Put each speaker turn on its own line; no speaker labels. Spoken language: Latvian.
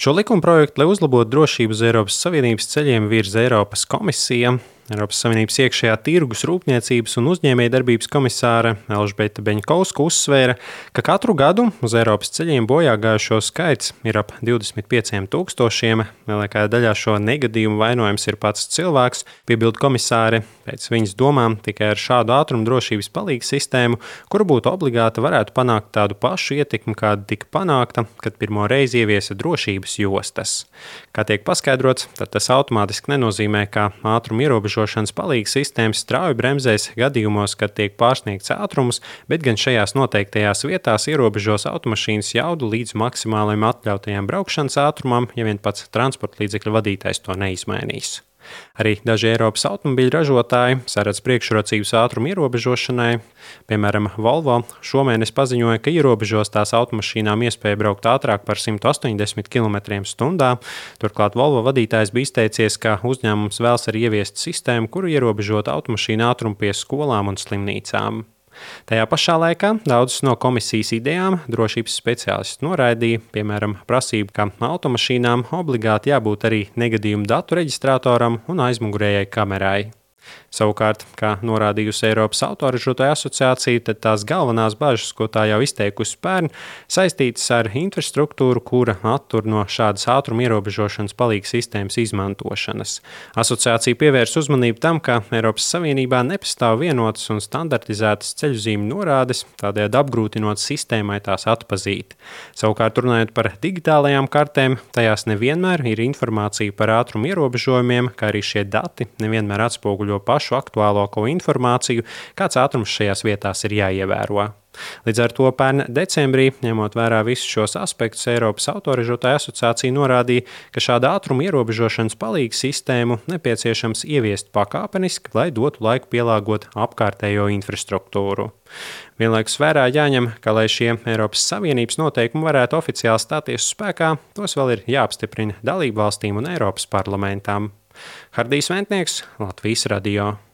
Šo likumprojektu, lai uzlabotu drošību uz Eiropas Savienības ceļiem, virza Eiropas komisija. Eiropas Savienības iekšējā tirgus, rūpniecības un uzņēmējdarbības komisāre Elžbieta Beņkovska uzsvēra, ka katru gadu uz Eiropas ceļiem bojā gājušo skaits ir ap 25,000. Lielākajā daļā šo negadījumu vainojams ir pats cilvēks, piebilda komisāre. Pēc viņas domām, tikai ar šādu ātruma drošības palīgas sistēmu, kura būtu obligāta, varētu panākt tādu pašu ietekmi, kāda tika panākta, kad pirmo reizi ieviesa drošības jostas. Kā tiek paskaidrots, tad tas automātiski nenozīmē, ka ātruma ierobežošanas palīgas sistēmas strauji bremzēs gadījumos, kad tiek pārsniegts ātrums, bet gan šajās noteiktajās vietās ierobežos automašīnas jaudu līdz maksimālajam atļautajam braukšanas ātrumam, ja vien pats transporta līdzekļa vadītājs to neizmainīs. Arī daži Eiropas automobiļu ražotāji saredz priekšrocības ātruma ierobežošanai. Piemēram, Volvo šomēnes paziņoja, ka ierobežos tās automašīnām iespēju braukt ātrāk par 180 km/h. Turklāt Volvo vadītājs bija izteicies, ka uzņēmums vēlas arī ieviest sistēmu, kuru ierobežot automašīnu ātrumu pie skolām un slimnīcām. Tajā pašā laikā daudzas no komisijas idejām drošības speciālisti noraidīja, piemēram, prasību, ka automašīnām obligāti jābūt arī negadījumu datu reģistratoram un aizmugurējai kamerai. Savukārt, kā norādījusi Eiropas autoražotāju asociācija, tad tās galvenās bažas, ko tā jau izteikusi pērn, saistītas ar infrastruktūru, kura attur no šādas ātruma ierobežošanas palīgas sistēmas izmantošanas. Asociācija pievērs uzmanību tam, ka Eiropas Savienībā nepastāv vienotas un standartizētas ceļuzīmju norādes, tādējādi apgrūtinot sistēmai tās atpazīt. Savukārt, runājot par digitālajām kartēm, tajās nevienmēr ir informācija par ātruma ierobežojumiem, kā arī šie dati nevienmēr atspoguļo pašu aktuālāko informāciju, kāds ātrums šajās vietās ir jāievēro. Līdz ar to pērn decembrī, ņemot vērā visus šos aspektus, Eiropas autoražotāju asociācija norādīja, ka šāda ātruma ierobežošanas palīgas sistēmu nepieciešams ieviest pakāpeniski, lai dotu laiku pielāgot apkārtējo infrastruktūru. Vienlaikus vērā jāņem, ka, lai šie Eiropas Savienības noteikumi varētu oficiāli stāties spēkā, tos vēl ir jāapstiprina dalībvalstīm un Eiropas parlamentām. Hardijs Ventnieks, Latvijas radio.